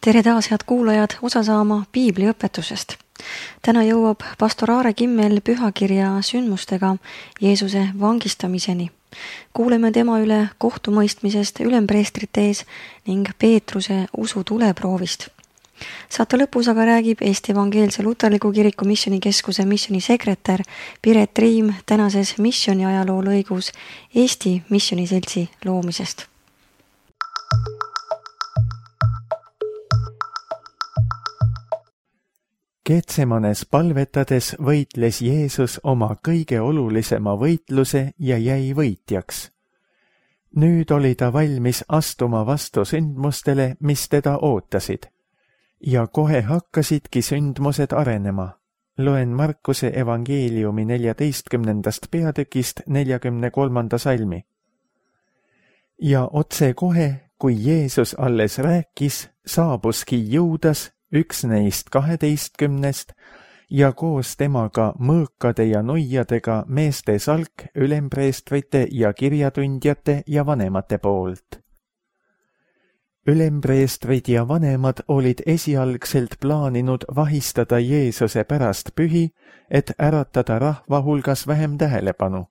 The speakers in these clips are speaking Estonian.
Tere taas, head kuulajad, osa saama piibliõpetusest. Täna jõuab pastor Aare Kimmel pühakirja sündmustega Jeesuse vangistamiseni. Kuuleme tema üle kohtumõistmisest ülempreestrite ees ning Peetruse usu tuleproovist. Saate lõpus aga räägib Eesti Evangeelse Luterliku Kiriku Missionikeskuse missionisekretär Piret Riim tänases missioni ajaloo lõigus Eesti Missioniseltsi loomisest. Getsemanes palvetades võitles Jeesus oma kõige olulisema võitluse ja jäi võitjaks. Nüüd oli ta valmis astuma vastu sündmustele, mis teda ootasid. Ja kohe hakkasidki sündmused arenema. Loen Markuse evangeeliumi 14. peatükist 43. salmi. Ja otse kohe, kui Jeesus alles rääkis, saabuski Juudas, üks neist 12, ja koos temaga mõõkade ja nuiadega meeste salk ülempreestrite ja kirjatundjate ja vanemate poolt. Ülempreestrid ja vanemad olid esialgselt plaaninud vahistada Jeesuse pärast pühi, et äratada rahva hulgas vähem tähelepanu.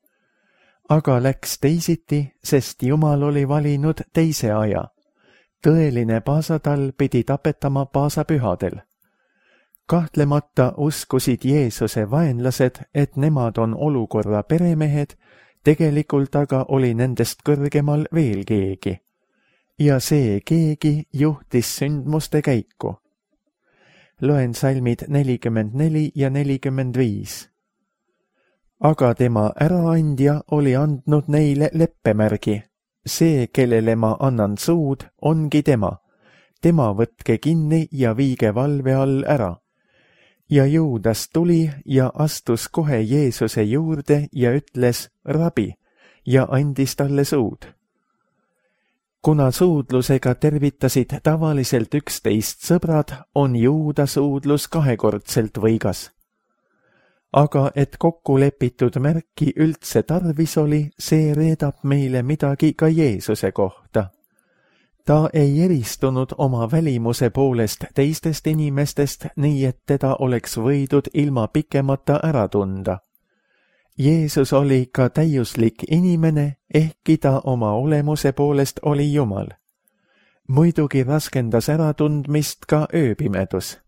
Aga läks teisiti, sest Jumal oli valinud teise aja. Tõeline paasatal pidi tapetama paasapühadel. Kahtlemata uskusid Jeesuse vaenlased, et nemad on olukorra peremehed, tegelikult aga oli nendest kõrgemal veel keegi. Ja see keegi juhtis sündmuste käiku. Loen salmid 44 ja 45. Aga tema äraandja oli andnud neile leppemärgi. See, kellele ma annan suud, ongi tema. Tema võtke kinni ja viige valve all ära. Ja Juudas tuli ja astus kohe Jeesuse juurde ja ütles rabi ja andis talle suud. Kuna suudlusega tervitasid tavaliselt 11 sõbrad, on Juuda suudlus kahekordselt võigas. Aga et kokku lepitud märki üldse tarvis oli, see reedab meile midagi ka Jeesuse kohta. Ta ei eristunud oma välimuse poolest teistest inimestest, nii et teda oleks võidud ilma pikemata ära tunda. Jeesus oli ka täiuslik inimene, ehkki ta oma olemuse poolest oli Jumal. Muidugi raskendas äratundmist ka ööpimedus.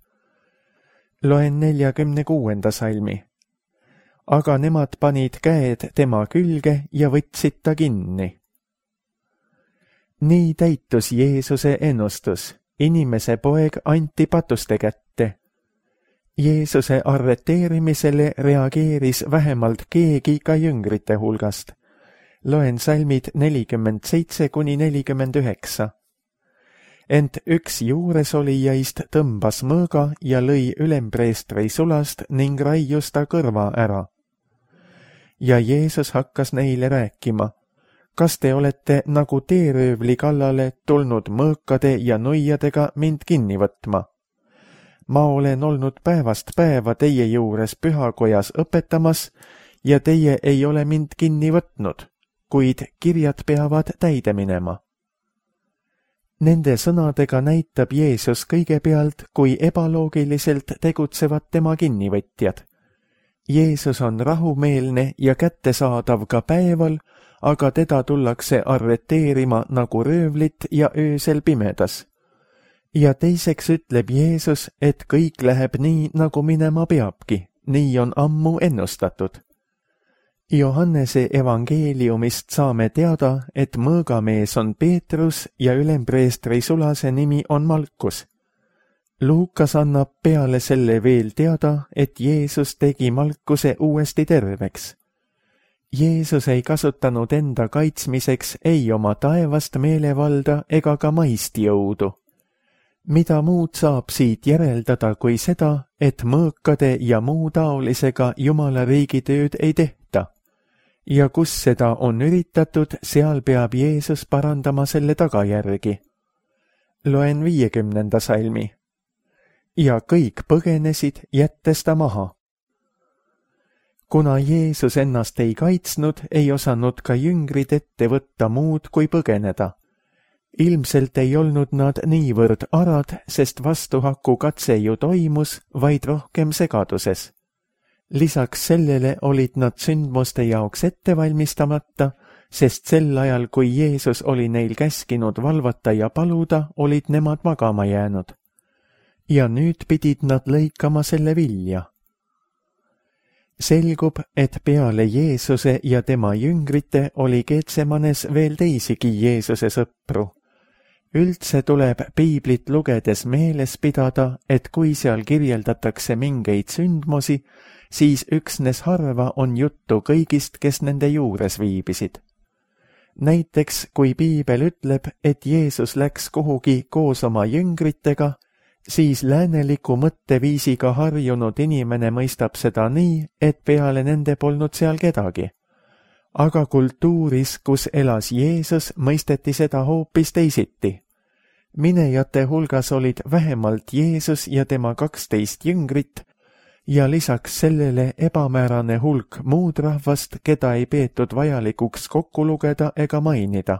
Loen 46. salmi. Aga nemad panid käed tema külge ja võtsid ta kinni. Nii täitus Jeesuse ennustus. Inimese poeg anti patuste kätte. Jeesuse arreteerimisele reageeris vähemalt keegi ka jüngrite hulgast. Loen salmid 47–49. Ent üks juuresolijaist tõmbas mõõga ja lõi ülempreestri sulast ning raius ta kõrva ära. Ja Jeesus hakkas neile rääkima, kas te olete nagu teeröövli kallale tulnud mõõkade ja nuiadega mind kinni võtma? Ma olen olnud päevast päeva teie juures pühakojas õpetamas ja teie ei ole mind kinni võtnud, kuid kirjad peavad täide minema. Nende sõnadega näitab Jeesus kõigepealt, kui ebaloogiliselt tegutsevad tema kinnivõtjad. Jeesus on rahumeelne ja kättesaadav ka päeval, aga teda tullakse arreteerima nagu röövlit ja öösel pimedas. Ja teiseks ütleb Jeesus, et kõik läheb nii, nagu minema peabki, nii on ammu ennustatud. Johannese evangeeliumist saame teada, et mõõgamees on Peetrus ja ülempreestri sulase nimi on Malkus. Luukas annab peale selle veel teada, et Jeesus tegi Malkuse uuesti terveks. Jeesus ei kasutanud enda kaitsmiseks ei oma taevast meelevalda ega ka maist jõudu. Mida muud saab siit järeldada kui seda, et mõõkade ja muu taolisega Jumala riigi tööd ei tehta. Ja kus seda on üritatud, seal peab Jeesus parandama selle tagajärgi. Loen 50. salmi. Ja kõik põgenesid, jättes ta maha. Kuna Jeesus ennast ei kaitsnud, ei osanud ka jüngrid ette võtta muud kui põgeneda. Ilmselt ei olnud nad niivõrd arad, sest vastuhaku katse ju toimus, vaid rohkem segaduses. Lisaks sellele olid nad sündmuste jaoks ette valmistamata, sest sel ajal, kui Jeesus oli neil käskinud valvata ja paluda, olid nemad magama jäänud. Ja nüüd pidid nad lõikama selle vilja. Selgub, et peale Jeesuse ja tema jüngrite oli Getsemanes veel teisigi Jeesuse sõpru. Üldse tuleb piiblit lugedes meeles pidada, et kui seal kirjeldatakse mingeid sündmusi, siis üksnes harva on juttu kõigist, kes nende juures viibisid. Näiteks, kui piibel ütleb, et Jeesus läks kuhugi koos oma jüngritega, siis lääneliku mõtteviisiga harjunud inimene mõistab seda nii, et peale nende polnud seal kedagi. Aga kultuuris, kus elas Jeesus, mõisteti seda hoopis teisiti. Minejate hulgas olid vähemalt Jeesus ja tema 12 jüngrit ja lisaks sellele ebamäärane hulk muud rahvast, keda ei peetud vajalikuks kokku lugeda ega mainida.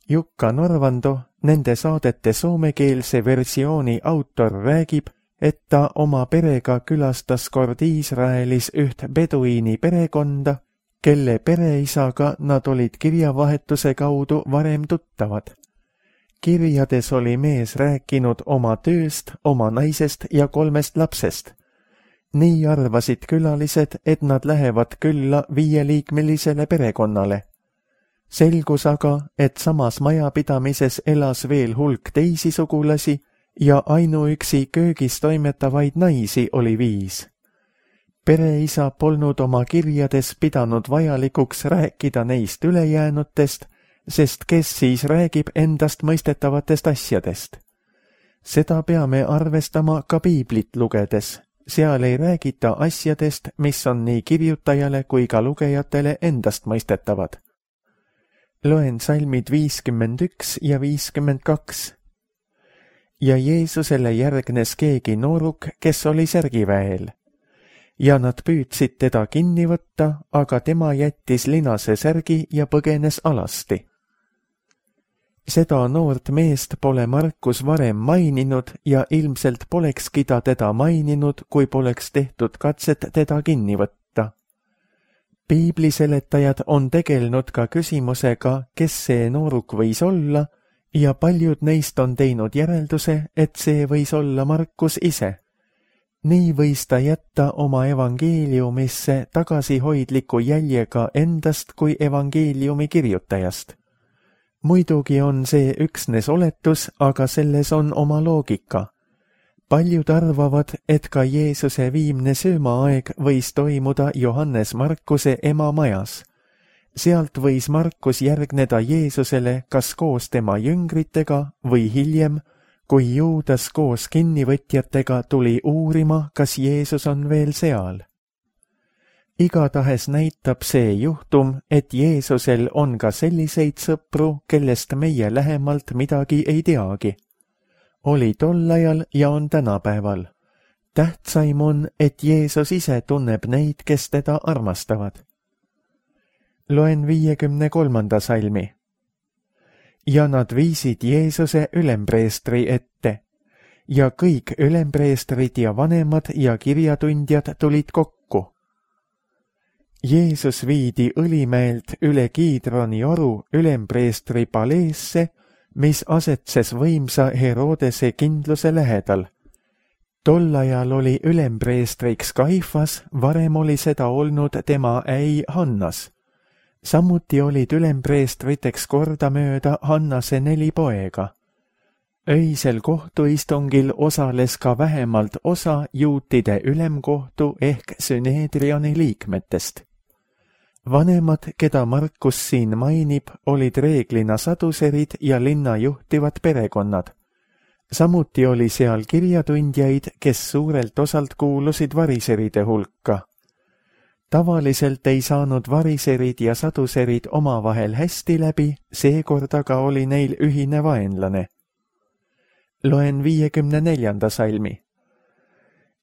Jukka Norvando, nende saadete soomekeelse versiooni autor, räägib, et ta oma perega külastas kord Iisraelis üht beduiini perekonda, kelle pereisaga nad olid kirjavahetuse kaudu varem tuttavad. Kirjades oli mees rääkinud oma tööst, oma naisest ja 3 lapsest. Nii arvasid külalised, et nad lähevad külla 5-liikmelisele perekonnale. Selgus aga, et samas majapidamises elas veel hulk teisi sugulasi ja ainuüksi köögis toimetavaid naisi oli 5. Pereisa polnud oma kirjades pidanud vajalikuks rääkida neist ülejäänutest, sest kes siis räägib endast mõistetavatest asjadest. Seda peame arvestama ka piiblit lugedes. Seal ei räägita asjadest, mis on nii kirjutajale kui ka lugejatele endast mõistetavad. Loen salmid 51 ja 52. Ja Jeesusele järgnes keegi nooruk, kes oli särgiväel. Ja nad püüdsid teda kinni võtta, aga tema jättis linase särgi ja põgenes alasti. Seda noort meest pole Markus varem maininud ja ilmselt polekski ta teda maininud, kui poleks tehtud katset teda kinni võtta. Piibliseletajad on tegelenud ka küsimusega, kes see nooruk võis olla, ja paljud neist on teinud järelduse, et see võis olla Markus ise. Nii võis ta jätta oma evangeeliumisse tagasihoidliku jäljega endast kui evangeeliumi kirjutajast. Muidugi on see üksnes oletus, aga selles on oma loogika. Paljud arvavad, et ka Jeesuse viimne söömaaeg võis toimuda Johannes Markuse ema majas. Sealt võis Markus järgneda Jeesusele kas koos tema jüngritega või hiljem, kui Juudas koos kinnivõtjatega tuli uurima, kas Jeesus on veel seal. Igatahes näitab see juhtum, et Jeesusel on ka selliseid sõpru, kellest meie lähemalt midagi ei teagi. Oli tol ajal ja on tänapäeval. Tähtsaim on, et Jeesus ise tunneb neid, kes teda armastavad. Loen 53. salmi. Ja nad viisid Jeesuse ülempreestri ette. Ja kõik ülempreestrid ja vanemad ja kirjatundjad tulid kokku. Jeesus viidi Õlimäelt üle Kiidroni oru ülempreestri paleesse, mis asetses võimsa Herodese kindluse lähedal. Tol ajal oli ülempreestriks Kaifas, varem oli seda olnud tema äi Hannas. Samuti olid ülempreestriteks kordamööda Hannase 4 poega. Öisel kohtuistungil osales ka vähemalt osa juutide ülemkohtu ehk Süneedrioni liikmetest. Vanemad, keda Markus siin mainib, olid reeglina saduserid ja linna juhtivad perekonnad. Samuti oli seal kirjatundjaid, kes suurelt osalt kuulusid variseride hulka. Tavaliselt ei saanud variserid ja saduserid omavahel hästi läbi, seekord aga oli neil ühine vaenlane. Loen 54. salmi.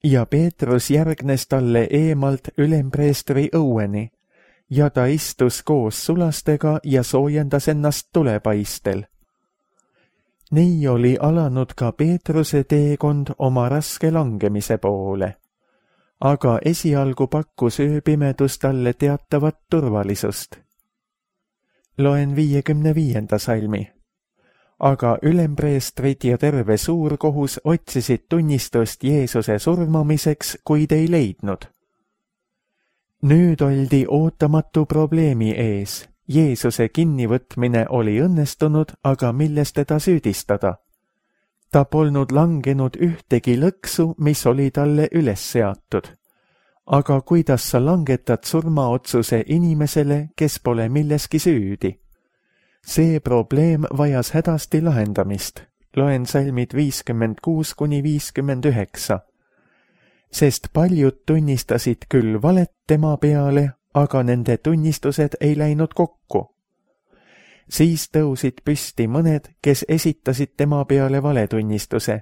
Ja Peetrus järgnes talle eemalt ülempreestri õueni, ja ta istus koos sulastega ja soojendas ennast tulepaistel. Nii oli alanud ka Peetruse teekond oma raske langemise poole. Aga esialgu pakkus ööpimedus talle teatavat turvalisust. Loen 55. salmi. Aga ülempreestrid ja terve suurkohus otsisid tunnistust Jeesuse surmamiseks, kuid ei leidnud. Nüüd oldi ootamatu probleemi ees. Jeesuse kinnivõtmine oli õnnestunud, aga milles teda süüdistada? Ta polnud langenud ühtegi lõksu, mis oli talle üles seatud. Aga kuidas sa langetad surmaotsuse inimesele, kes pole milleski süüdi? See probleem vajas hädasti lahendamist. Loen salmid 56–59. Sest paljud tunnistasid küll valet tema peale, aga nende tunnistused ei läinud kokku. Siis tõusid püsti mõned, kes esitasid tema peale valetunnistuse.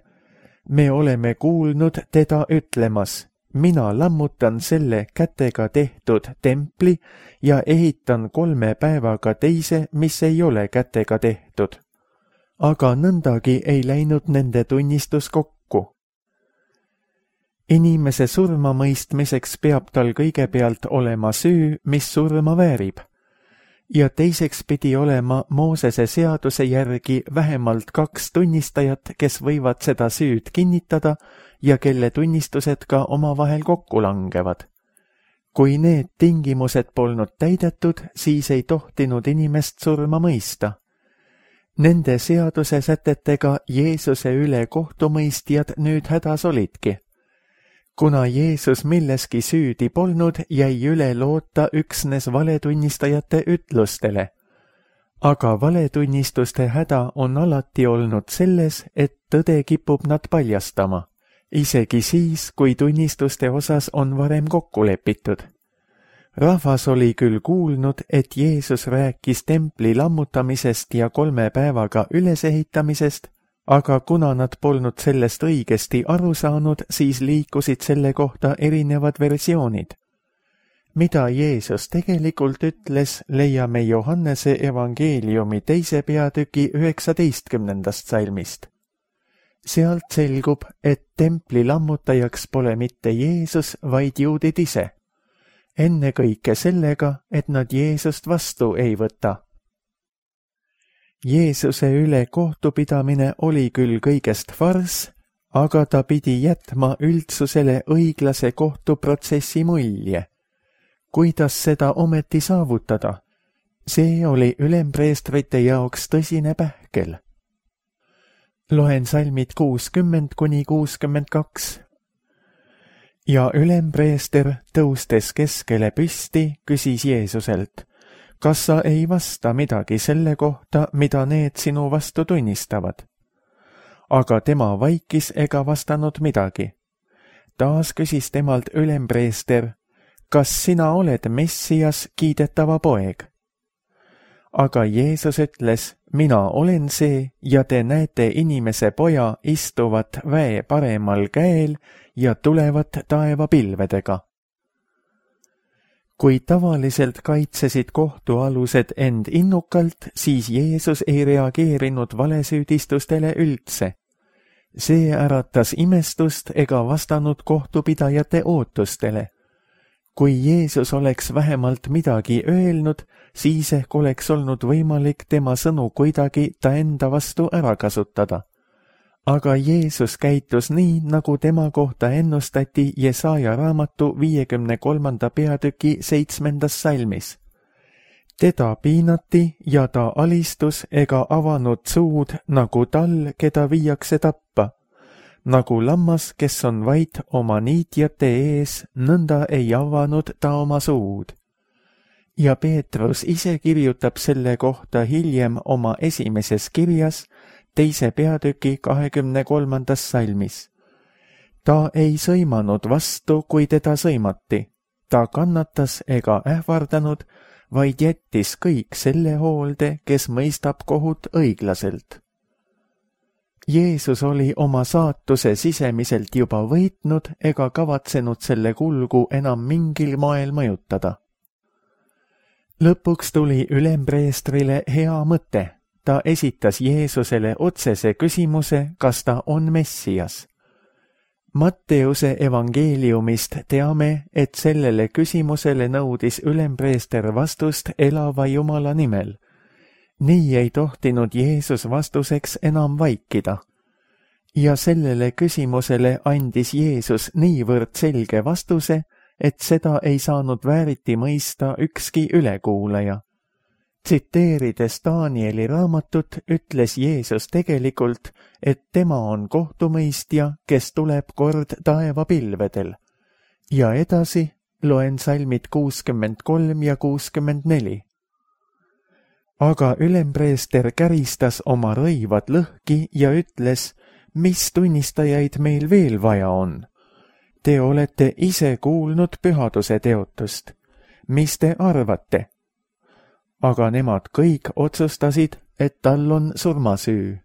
Me oleme kuulnud teda ütlemas, mina lammutan selle kätega tehtud templi ja ehitan 3 päevaga teise, mis ei ole kätega tehtud. Aga nõndagi ei läinud nende tunnistus kokku. Inimese surmamõistmiseks peab tal kõigepealt olema süü, mis surma väärib. Ja teiseks pidi olema Moosese seaduse järgi vähemalt 2 tunnistajat, kes võivad seda süüd kinnitada ja kelle tunnistused ka omavahel kokku langevad. Kui need tingimused polnud täidetud, siis ei tohtinud inimest surma mõista. Nende seaduse sätetega Jeesuse üle kohtumõistjad nüüd hädas olidki. Kuna Jeesus milleski süüdi polnud, jäi üle loota üksnes valetunnistajate ütlustele. Aga valetunnistuste häda on alati olnud selles, et tõde kipub nad paljastama, isegi siis, kui tunnistuste osas on varem kokku lepitud. Rahvas oli küll kuulnud, et Jeesus rääkis templi lammutamisest ja 3 päevaga ülesehitamisest, aga kuna nad polnud sellest õigesti aru saanud, siis liikusid selle kohta erinevad versioonid. Mida Jeesus tegelikult ütles, leiame Johannese evangeeliumi 2. peatüki 19. salmist. Sealt selgub, et templi lammutajaks pole mitte Jeesus, vaid juudid ise. Ennekõike sellega, et nad Jeesust vastu ei võta. Jeesuse üle kohtupidamine oli küll kõigest farss, aga ta pidi jätma üldsusele õiglase kohtuprotsessi mulje. Kuidas seda ometi saavutada? See oli ülempreestrite jaoks tõsine pähkel. Loen salmid 60–62. Ja ülempreester, tõustes keskele püsti, küsis Jeesuselt, kas sa ei vasta midagi selle kohta, mida need sinu vastu tunnistavad? Aga tema vaikis ega vastanud midagi. Taas küsis temalt ülempreester, kas sina oled Messias, kiidetava poeg? Aga Jeesus ütles, mina olen see ja te näete inimese poja istuvat väe paremal käel ja tulevat taevapilvedega. Kui tavaliselt kaitsesid kohtualused end innukalt, siis Jeesus ei reageerinud valesüüdistustele üldse. See äratas imestust ega vastanud kohtupidajate ootustele. Kui Jeesus oleks vähemalt midagi öelnud, siis ehk oleks olnud võimalik tema sõnu kuidagi ta enda vastu ära kasutada. Aga Jeesus käitus nii, nagu tema kohta ennustati Jesaja raamatu 53. peatüki 7. salmis. Teda piinati ja ta alistus ega avanud suud nagu tal, keda viiakse tappa. Nagu lammas, kes on vait oma niitjate ees, nõnda ei avanud ta oma suud. Ja Peetrus ise kirjutab selle kohta hiljem oma esimeses kirjas, 2. peatüki 23. salmis. Ta ei sõimanud vastu, kui teda sõimati. Ta kannatas ega ähvardanud, vaid jättis kõik selle hoolde, kes mõistab kohut õiglaselt. Jeesus oli oma saatuse sisemiselt juba võitnud ega kavatsenud selle kulgu enam mingil moel mõjutada. Lõpuks tuli ülempreestrile hea mõte. ta esitas Jeesusele otsese küsimuse, kas ta on Messias. Matteuse evangeeliumist teame, et sellele küsimusele nõudis ülempreester vastust elava Jumala nimel. Nii ei tohtinud Jeesus vastuseks enam vaikida. Ja sellele küsimusele andis Jeesus niivõrd selge vastuse, et seda ei saanud vääriti mõista ükski ülekuulaja. Tsiteerides Danieli raamatut, ütles Jeesus tegelikult, et tema on kohtumõistja, kes tuleb kord taevapilvedel. Ja edasi loen salmid 63 ja 64. Aga ülempreester käristas oma rõivad lõhki ja ütles, mis tunnistajaid meil veel vaja on? Te olete ise kuulnud pühaduse teotust. Mis te arvate? Aga nemad kõik otsustasid, et tal on surmasüü.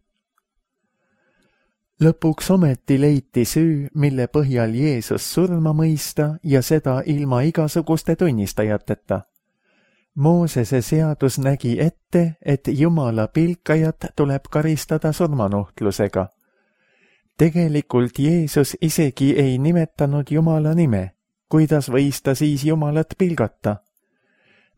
Lõpuks ometi leiti süü, mille põhjal Jeesus surma mõista ja seda ilma igasuguste tunnistajateta. Moosese seadus nägi ette, et Jumala pilkajat tuleb karistada surmanuhtlusega. Tegelikult Jeesus isegi ei nimetanud Jumala nime, kuidas võis ta siis Jumalat pilgata?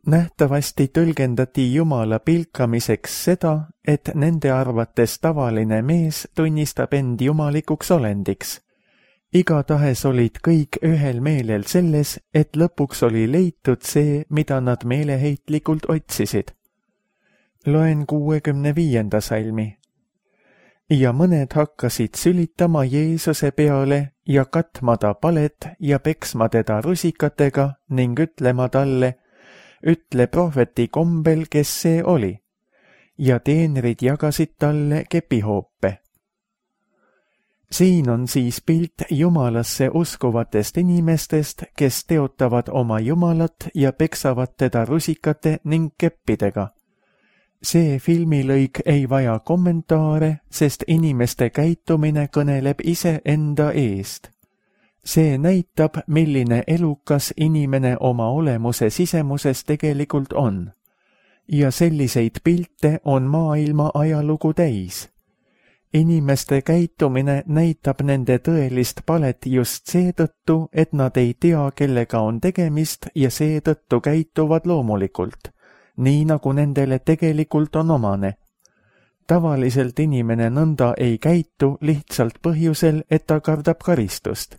Nähtavasti tõlgendati Jumala pilkamiseks seda, et nende arvates tavaline mees tunnistab end jumalikuks olendiks. Igatahes olid kõik ühel meelel selles, et lõpuks oli leitud see, mida nad meeleheitlikult otsisid. Loen 65. salmi. Ja mõned hakkasid sülitama Jeesuse peale ja katma ta palet ja peksma teda rusikatega ning ütlema talle, ütle prohveti kombel, kes see oli, ja teenrid jagasid talle kepihoope. Siin on siis pilt Jumalasse uskuvatest inimestest, kes teotavad oma Jumalat ja peksavad teda rusikate ning keppidega. See filmilõik ei vaja kommentaare, sest inimeste käitumine kõneleb ise enda eest. See näitab, milline elukas inimene oma olemuse sisemuses tegelikult on. Ja selliseid pilte on maailma ajalugu täis. Inimeste käitumine näitab nende tõelist palet just seetõttu, et nad ei tea, kellega on tegemist ja seetõttu käituvad loomulikult, nii nagu nendele tegelikult on omane. Tavaliselt inimene nõnda ei käitu lihtsalt põhjusel, et ta kardab karistust.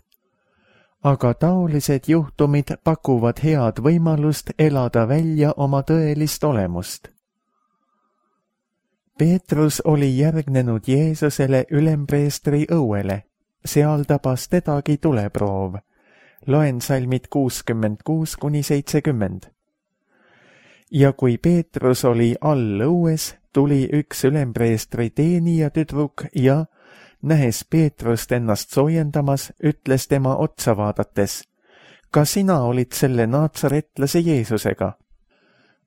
Aga taolised juhtumid pakuvad head võimalust elada välja oma tõelist olemust. Peetrus oli järgnenud Jeesusele ülempreestri õuele. Seal tabas tedagi tuleproov. Loen salmid 66–70. Ja kui Peetrus oli all õues, tuli üks ülempreestri teenija tüdruk ja nähes Peetrust ennast soojendamas, ütles tema otsa vaadates, ka sina olid selle naatsaretlase Jeesusega.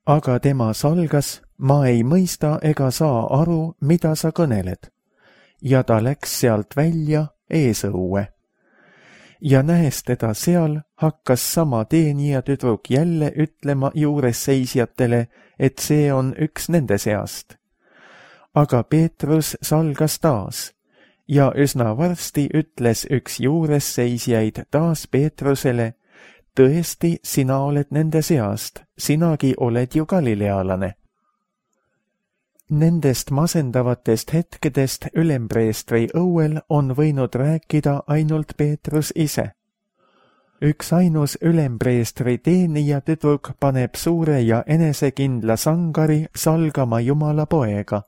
Aga tema salgas, ma ei mõista ega saa aru, mida sa kõneled. Ja ta läks sealt välja eesõue. Ja nähes teda seal, hakkas sama teenija tüdruk jälle ütlema juures seisjatele, et see on üks nende seast. Aga Peetrus salgas taas. Ja üsna varsti ütles üks juures seisjaid taas Peetrusele, tõesti, sina oled nende seast, sinagi oled ju galilealane. Nendest masendavatest hetkedest ülempreestri õuel on võinud rääkida ainult Peetrus ise. Üks ainus ülempreestri teenija tüdruk paneb suure ja enesekindla sangari salgama Jumala poega.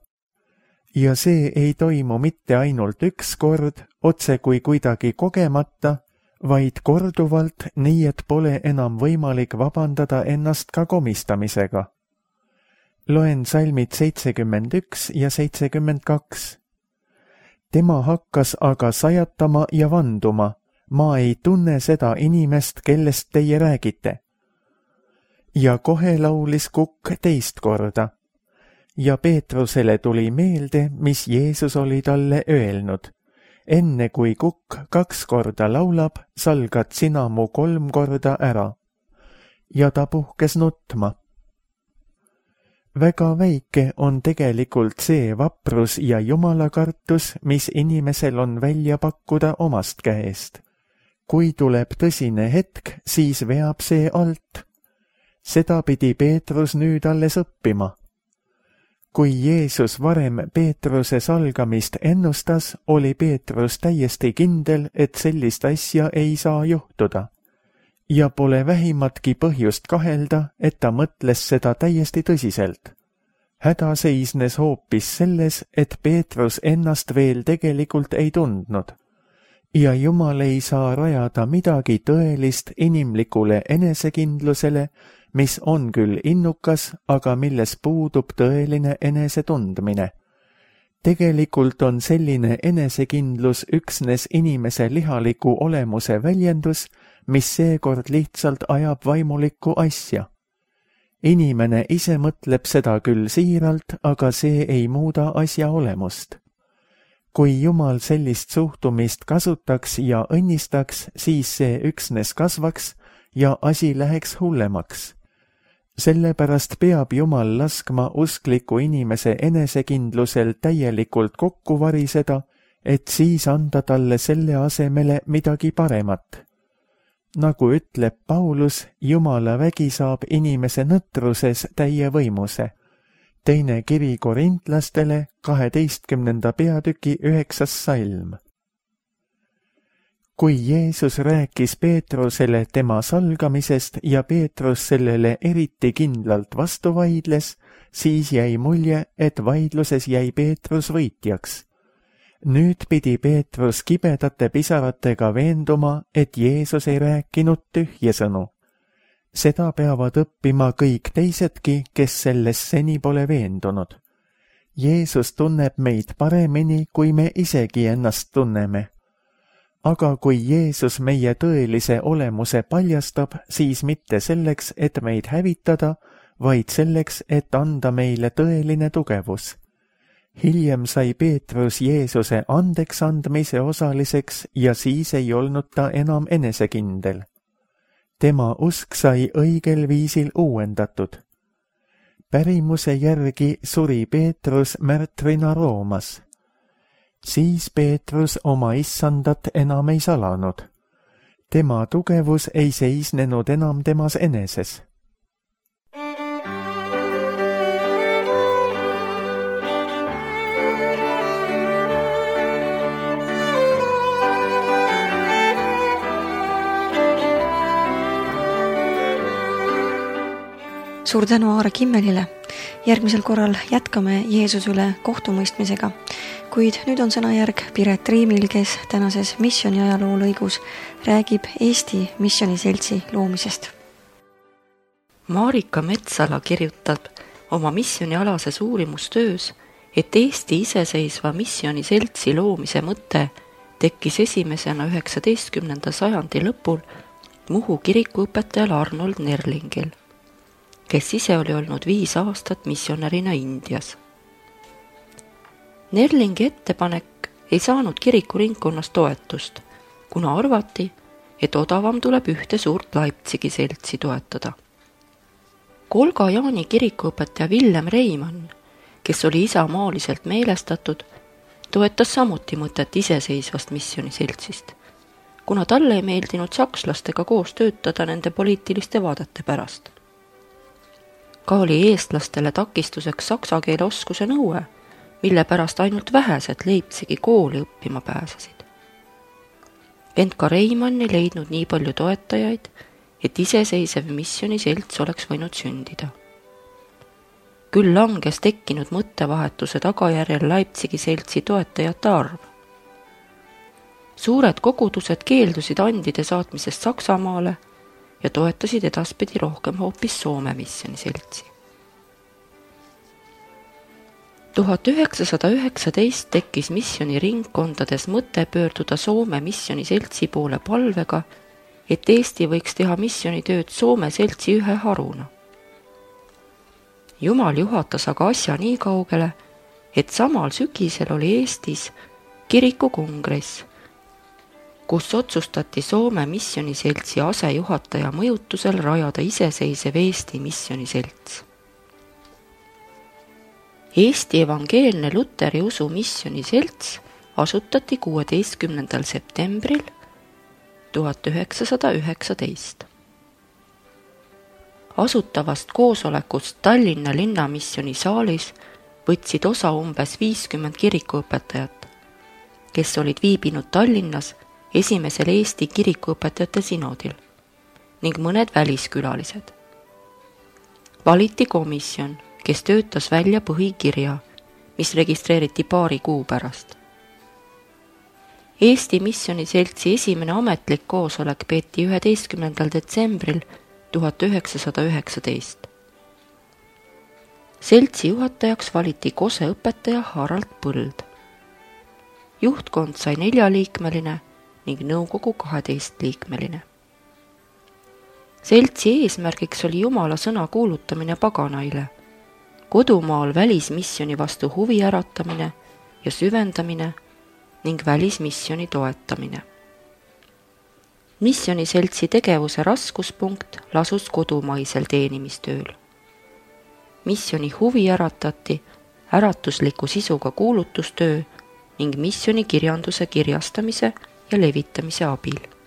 Ja see ei toimu mitte ainult üks kord, otse kui kuidagi kogemata, vaid korduvalt, nii et pole enam võimalik vabandada ennast ka komistamisega. Loen salmid 71 ja 72. Tema hakkas aga sajatama ja vanduma, ma ei tunne seda inimest, kellest teie räägite. Ja kohe laulis kukk teist korda. Ja Peetrusele tuli meelde, mis Jeesus oli talle öelnud. Enne kui kukk 2 korda laulab, salgad sina mu 3 korda ära. Ja ta puhkes nutma. väga väike on tegelikult see vaprus ja jumalakartus, mis inimesel on välja pakkuda omast käest. Kui tuleb tõsine hetk, siis veab see alt. Seda pidi Peetrus nüüd alles õppima. Kui Jeesus varem Peetruse salgamist ennustas, oli Peetrus täiesti kindel, et sellist asja ei saa juhtuda. Ja pole vähimatki põhjust kahelda, et ta mõtles seda täiesti tõsiselt. Häda seisnes hoopis selles, et Peetrus ennast veel tegelikult ei tundnud. Ja Jumal ei saa rajada midagi tõelist inimlikule enesekindlusele, mis on küll innukas, aga milles puudub tõeline enesetundmine. Tegelikult on selline enesekindlus üksnes inimese lihaliku olemuse väljendus, mis seekord lihtsalt ajab vaimulikku asja. Inimene ise mõtleb seda küll siiralt, aga see ei muuda asja olemust. Kui Jumal sellist suhtumist kasutaks ja õnnistaks, siis see üksnes kasvaks ja asi läheks hullemaks. Sellepärast peab Jumal laskma uskliku inimese enesekindlusel täielikult kokku variseda, et siis anda talle selle asemele midagi paremat. Nagu ütleb Paulus, Jumala vägi saab inimese nõtruses täie võimuse. Teine kiri korintlastele, 12. peatüki 9. salm. Kui Jeesus rääkis Peetrusele tema salgamisest ja Peetrus sellele eriti kindlalt vastu vaidles, siis jäi mulje, et vaidluses jäi Peetrus võitjaks. Nüüd pidi Peetrus kibedate pisaratega veenduma, et Jeesus ei rääkinud tühjesõnu. Seda peavad õppima kõik teisedki, kes selles seni pole veendunud. Jeesus tunneb meid paremini, kui me isegi ennast tunneme. Aga kui Jeesus meie tõelise olemuse paljastab, siis mitte selleks, et meid hävitada, vaid selleks, et anda meile tõeline tugevus. Hiljem sai Peetrus Jeesuse andeks andmise osaliseks ja siis ei olnud ta enam enesekindel. Tema usk sai õigel viisil uuendatud. Pärimuse järgi suri Peetrus märtrina Roomas. Siis Peetrus oma issandat enam ei salanud. Tema tugevus ei seisnenud enam temas eneses. Suur tänu Aare Kimmelile. Järgmisel korral jätkame Jeesuse üle kohtumõistmisega, kuid nüüd on sõnajärg Piret Riimil, kes tänases missioni ajaloo lõigus räägib Eesti missioniseltsi loomisest. Marika Metsala kirjutab oma missionialases uurimustöös, et Eesti iseseisva missioniseltsi loomise mõte tekkis esimesena 19. sajandi lõpul Muhu kirikuõpetajal Arnold Nerlingil, kes ise oli olnud 5 aastat missionärina Indias. Nerlingi ettepanek ei saanud kirikuringkonnas toetust, kuna arvati, et odavam tuleb ühte suurt Leipzigi seltsi toetada. Kolga Jaani kirikuõpetaja Villem Reimann, kes oli isamaaliselt meelestatud, toetas samuti mõtet iseseisvast missioniseltsist, kuna talle ei meeldinud sakslastega koos töötada nende poliitiliste vaadete pärast. Ka oli eestlastele takistuseks saksa keele oskuse nõue, mille pärast ainult vähesed Leipzigi kooli õppima pääsesid. Ent ka Reimann ei leidnud nii palju toetajaid, et iseseisev missioniselts oleks võinud sündida. Küll langes tekkinud mõttevahetuse tagajärjel Leipzigi seltsi toetajate arv. Suured kogudused keeldusid andide saatmisest Saksamaale ja toetasid edaspidi rohkem hoopis Soome missioniseltsi. 1919 tekkis missioniringkondades mõte pöörduda Soome missioniseltsi poole palvega, et Eesti võiks teha missionitööd Soome seltsi ühe haruna. Jumal juhatas aga asja nii kaugele, et samal sügisel oli Eestis kirikukongress, kus otsustati Soome missioniseltsi asejuhataja mõjutusel rajada iseseisev Eesti missioniselts. Eesti Evangeelne Luteri Usu Missioni Selts asutati 16. septembril 1919. Asutavast koosolekust Tallinna linnamissioni saalis võtsid osa umbes 50 kirikuõpetajat, kes olid viibinud Tallinnas esimesel Eesti kirikuõpetajate sinodil ning mõned väliskülalised. Valiti komisjon, kes töötas välja põhikirja, mis registreeriti paari kuu pärast. Eesti Missioni Seltsi esimene ametlik koosolek peeti 11. detsembril 1919. Seltsi juhatajaks valiti Kose õpetaja Harald Põld. Juhtkond sai 4-liikmeline ning nõukogu 12-liikmeline. Seltsi eesmärgiks oli Jumala sõna kuulutamine paganaile, kodumaal välismissioni vastu huvi äratamine ja süvendamine ning välismissioni toetamine. Missioniseltsi tegevuse raskuspunkt lasus kodumaisel teenimistööl. Missioni huvi äratati äratusliku sisuga kuulutustöö ning missioni kirjanduse kirjastamise ja levitamise abil.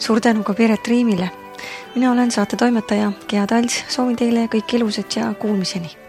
Suur tänu ka Piret Riimile. Mina olen saate toimetaja Gea Talts, soovin teile kõik ilusat ja kuulmiseni.